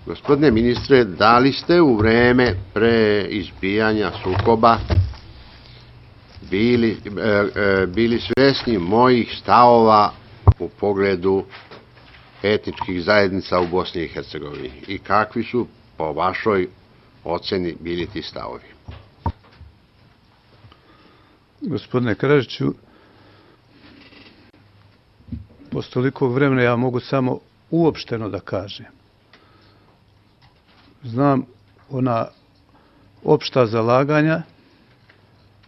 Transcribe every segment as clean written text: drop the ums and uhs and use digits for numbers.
Gospodine ministre, da li ste u vreme pre izbijanja sukoba bili svesni mojih stavova u pogledu etničkih zajednica u Bosni i Hercegovini i kakvi su po vašoj oceni bili ti stavovi? Gospodine Karadžiću, posle tolikog vremena ja mogu samo uopšteno da kažem. Znam ona opšta zalaganja,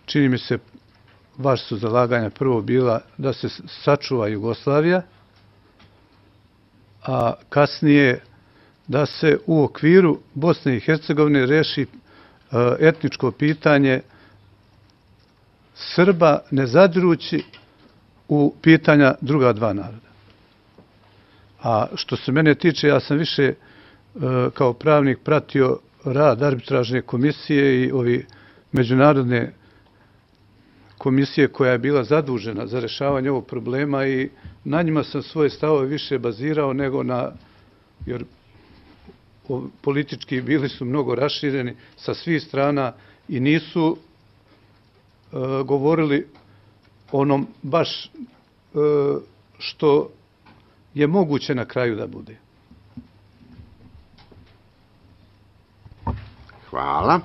čini mi se vaš su zalaganja prvo bila da se sačuva Jugoslavija, a kasnije da se u okviru Bosne i Hercegovine reši etničko pitanje Srba, ne zadirući u pitanja druga dva naroda. A što se mene tiče, ja sam više kao pravnik pratio rad arbitražne komisije i ovi međunarodne komisije koja je bila zadužena za rešavanje ovog problema i na njima sam svoje stavove više bazirao nego na, jer politički bili su mnogo rašireni sa svih strana i nisu govorili onom baš što je moguće na kraju da bude. Hvala.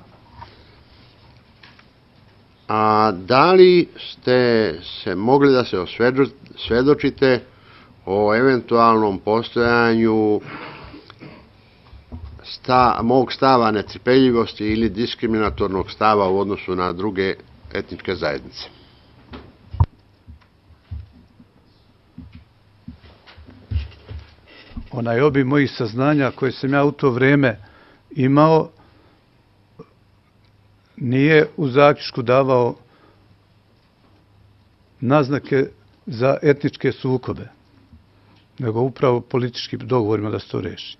A da li ste se mogli da se osvedočite o eventualnom postojanju mog stava netrpeljivosti ili diskriminatornog stava u odnosu na druge etničke zajednice? Onaj obim mojih saznanja koje sam ja u to vreme imao nije u zaključku davao naznake za etničke sukobe, nego upravo političkim dogovorima da se to reši.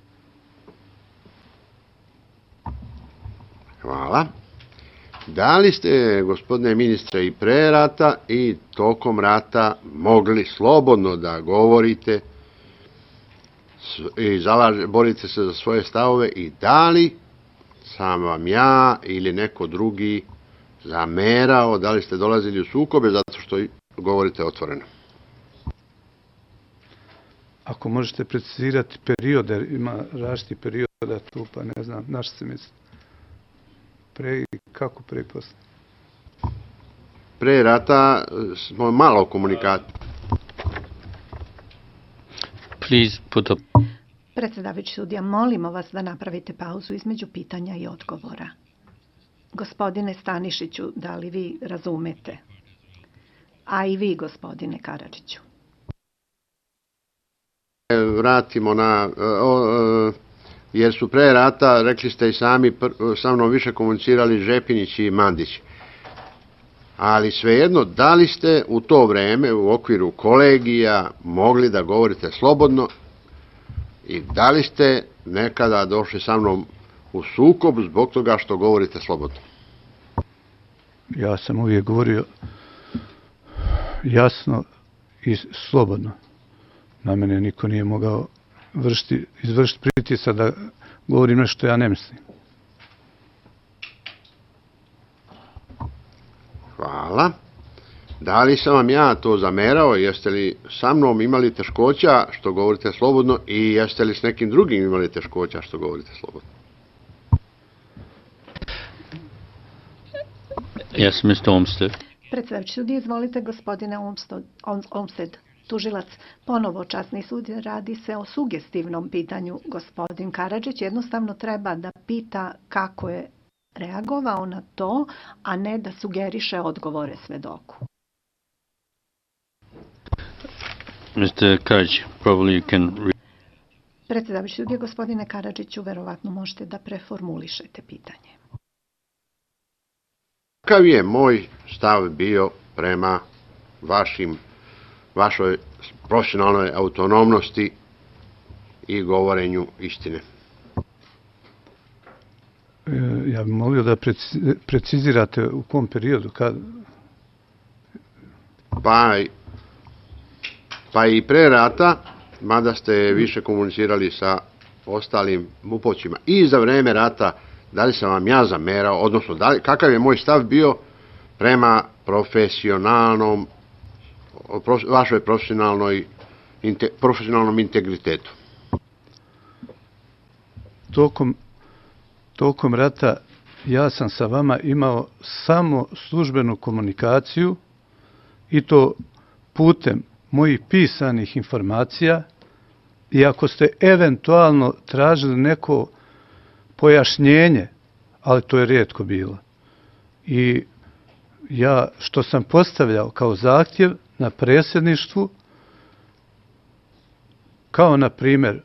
Hvala. Da li ste, gospodine ministre, i pre rata i tokom rata mogli slobodno da govorite i borite se za svoje stavove i da li sam vam ja ili neko drugi zamerao, da li ste dolazili u sukobe zato što govorite otvoreno? Ako možete precizirati periode, ima različitih perioda tu, pa ne znam, na što se misli? Pre i kako pre i posle? Pre rata smo malo komunikati. Please put up. Predsjedavajući sudija, molimo vas da napravite pauzu između pitanja i odgovora. Gospodine Stanišiću, da li vi razumete? A i vi, gospodine Karadžiću. Vratimo na... jer su pre rata, rekli ste i sami, sa mnom više komunicirali Žepinić i Mandić. Ali svejedno, da li ste u to vreme u okviru kolegija mogli da govorite slobodno i da li ste nekada došli sa mnom u sukob zbog toga što govorite slobodno? Ja sam uvijek govorio jasno i slobodno. Na mene niko nije mogao izvršiti pritisak da govorim nešto što ja ne mislim. Hvala. Da li sam vam ja to zamerao? Jeste li sa mnom imali teškoća što govorite slobodno i jeste li s nekim drugim imali teškoća što govorite slobodno? Yes, Mr. Olmsted. Predsjedavajući sudija, izvolite, gospodine Olmsted. Tužilac, ponovo časni sud, radi se o sugestivnom pitanju. Gospodin Karadžić jednostavno treba da pita kako je reagovao na to, a ne da sugeriše odgovore svedoku. Mr. Karadžić, probably you can... Predsjedavajući sudija, gospodine Karadžiću, verovatno možete da preformulišete pitanje. Kakav je moj stav bio prema vašoj profesionalnoj autonomnosti i govorenju istine? Ja bih molio da precizirate u kom periodu, kad... Pa i pre rata, mada ste više komunicirali sa ostalim MUP-ovcima i za vreme rata, da li sam vam ja zamerao, odnosno kakav je moj stav bio prema vašoj profesionalnom integritetu? Tokom rata ja sam sa vama imao samo službenu komunikaciju i to putem mojih pisanih informacija, i ako ste eventualno tražili neko pojašnjenje, ali to je rijetko bilo. I ja što sam postavljao kao zahtjev na predsjedništvu, kao na primjer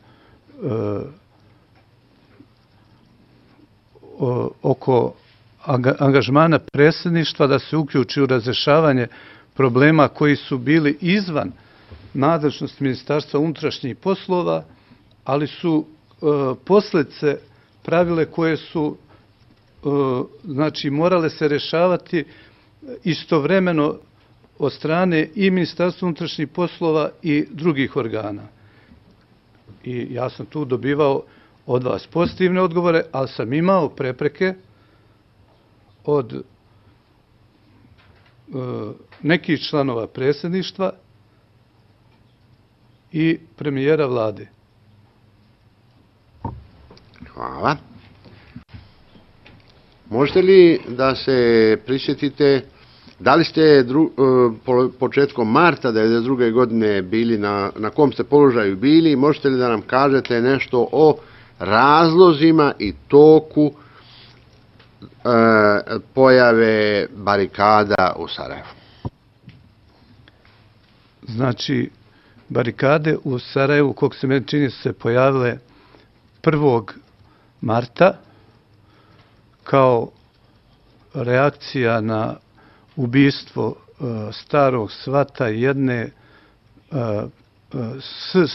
oko angažmana predsjedništva da se uključi u razrješavanje problema koji su bili izvan nadležnosti Ministarstva unutrašnjih poslova, ali su posljedice pravile koje su znači morale se rješavati istovremeno od strane i Ministarstva unutrašnjih poslova i drugih organa. I ja sam tu dobivao od vas pozitivne odgovore, ali sam imao prepreke od nekih članova predsjedništva i premijera vlade. Hvala. Možete li da se prisjetite, da li ste početkom marta 1992. godine bili na kom ste položaju bili, možete li da nam kažete nešto o razlozima i toku pojave barikada u Sarajevu? Znači, barikade u Sarajevu, koliko se meni čini, su se pojavile 1. marta kao reakcija na ubistvo starog svata jedne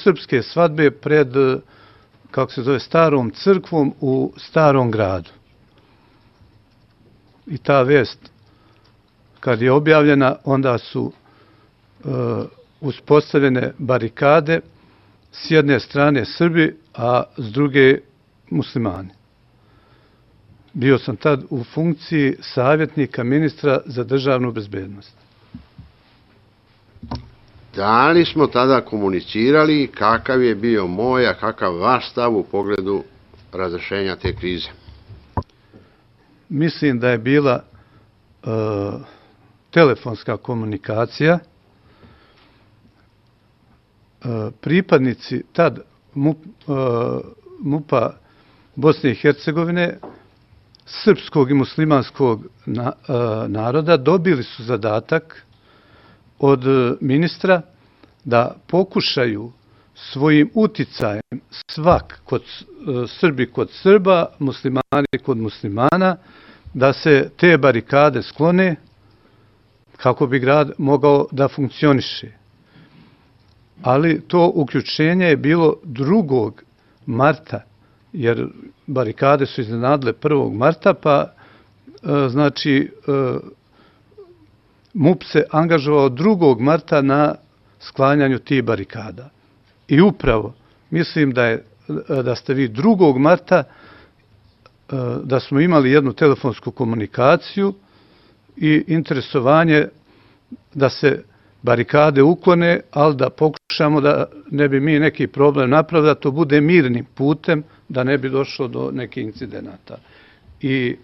srpske svadbe pred, kako se zove, starom crkvom u Starom gradu. I ta vest, kad je objavljena, onda su uspostavljene barikade, s jedne strane Srbi, a s druge muslimani. Bio sam tad u funkciji savjetnika ministra za državnu bezbednost. Da li smo tada komunicirali kakav je bio moj, a kakav vaš stav u pogledu razrešenja te krize? Mislim da je bila telefonska komunikacija. Pripadnici tad MUP-a Bosne i Hercegovine, srpskog i muslimanskog naroda, dobili su zadatak od ministra da pokušaju svojim uticajem Srbi kod Srba, muslimani kod muslimana, da se te barikade sklone kako bi grad mogao da funkcioniše. Ali to uključenje je bilo 2. marta, jer barikade su iznenadile 1. marta, pa znači MUP se angažovao 2. marta na sklanjanju tih barikada. I upravo mislim da ste vi 2. marta, da smo imali jednu telefonsku komunikaciju i interesovanje da se barikade uklone, ali da pokušamo da ne bi mi neki problem napravili, da to bude mirnim putem, da ne bi došlo do nekih incidenata. I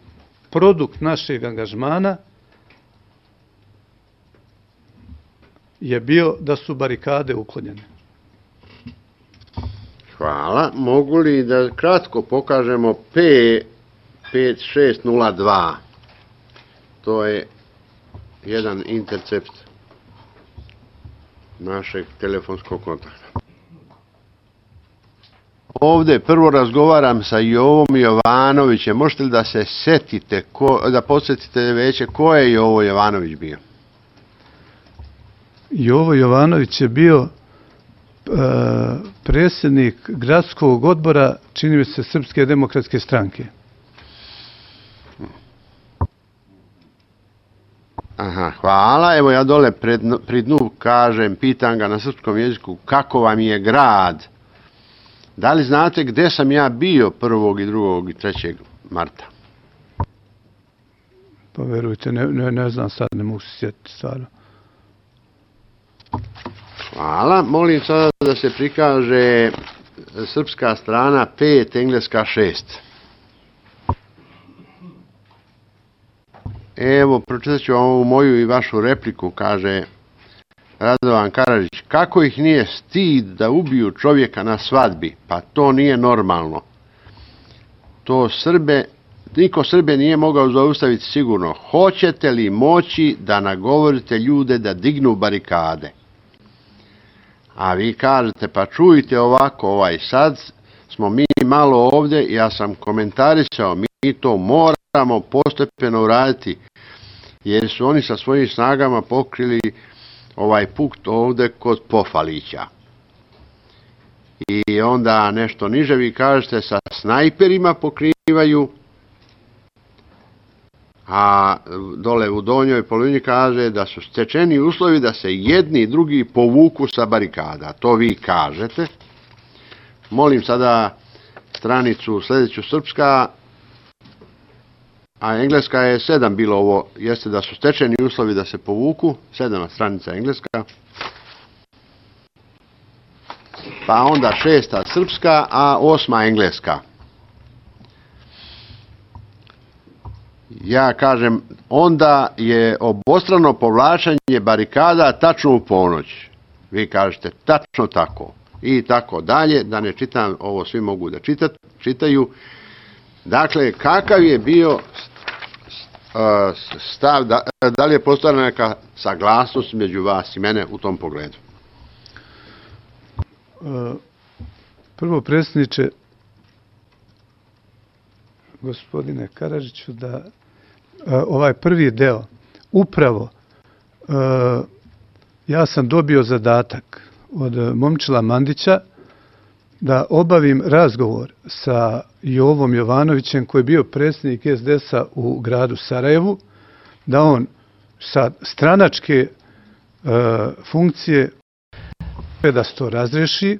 produkt našeg angažmana je bio da su barikade uklonjene. Hvala. Mogu li da kratko pokažemo P5602? To je jedan intercept našeg telefonskog kontakta. Ovdje prvo razgovaram sa Jovom Jovanovićem. Možete li da se setite, da podsjetite veće ko je Jovo Jovanović bio? Jovo Jovanović je bio predsjednik gradskog odbora, čini mi se, Srpske demokratske stranke. Aha, hvala. Evo ja dole pri dnu kažem, pitam ga na srpskom jeziku, kako vam je grad Da li znate gde sam ja bio 1. i 2. i 3. marta? Pa verujte, ne znam sad, ne mogu se sjetiti stvarno. Hvala. Molim sada da se prikaže srpska strana 5, engleska 6. Evo, pročitat ću ovu moju i vašu repliku, kaže Radovan Karadžić. Kako ih nije stid da ubiju čovjeka na svadbi? Pa to nije normalno. Niko Srbe nije mogao zaustaviti sigurno. Hoćete li moći da nagovorite ljude da dignu barikade? A vi kažete, pa čujte ovako, sad smo mi malo ovdje, ja sam komentarisao, mi to moramo postepeno uraditi, jer su oni sa svojim snagama pokrili ovaj punkt ovdje kod Pofalića. I onda nešto niže vi kažete, sa snajperima pokrivaju, a dole u donjoj polovini kaže da su stečeni uslovi da se jedni i drugi povuku sa barikada. To vi kažete. Molim sada stranicu sljedeću srpska, a engleska je 7 bilo ovo, jeste da su stečeni uslovi da se povuku, 7. stranica engleska. Pa onda 6. srpska, a 8. engleska. Ja kažem, onda je obostrano povlačenje barikada tačno u ponoć. Vi kažete, tačno tako. I tako dalje, da ne čitam, ovo svi mogu da čitaju. Dakle, kakav je bio stav, da li je postojala neka saglasnost među vas i mene u tom pogledu? Prvo, predsjedniče, gospodine Karadžiću, da ovaj prvi deo, upravo ja sam dobio zadatak od Momčila Mandića da obavim razgovor sa Jovom Jovanovićem, koji je bio predsjednik SDS-a u gradu Sarajevu, da on sa stranačke funkcije da se to razreši.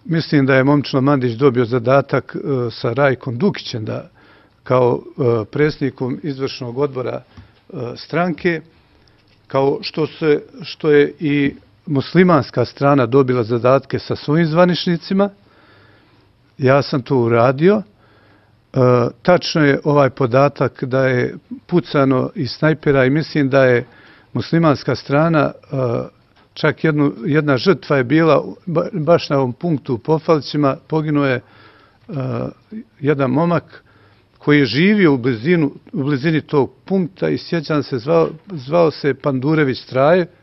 Mislim da je Momčilo Mandić dobio zadatak sa Rajkom Dukićem da kao predsjednikom izvršnog odbora stranke, kao što je i muslimanska strana dobila zadatke sa svojim zvaničnicima. Ja sam to uradio. Tačno je ovaj podatak da je pucano iz snajpera i mislim da je muslimanska strana, čak jedna žrtva je bila baš na ovom punktu u Pofalićima, poginuo je jedan momak koji je živio u blizini tog punkta i sjećam se, zvao se Pandurević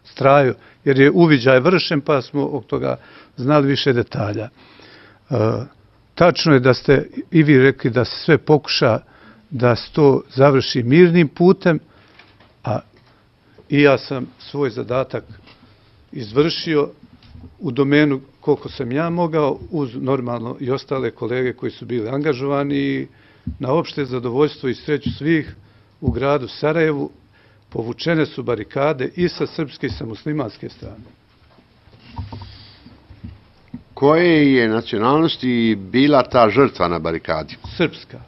Strajo, jer je uviđaj vršen, pa smo od toga znali više detalja. Tačno je da ste i vi rekli da se sve pokuša da se to završi mirnim putem, a i ja sam svoj zadatak izvršio u domenu koliko sam ja mogao, uz normalno i ostale kolege koji su bili angažovani, i na opšte zadovoljstvo i sreću svih u gradu Sarajevu povučene su barikade i sa srpske i sa muslimanske strane. Koje je nacionalnosti bila ta žrtva na barikadi? Srpska.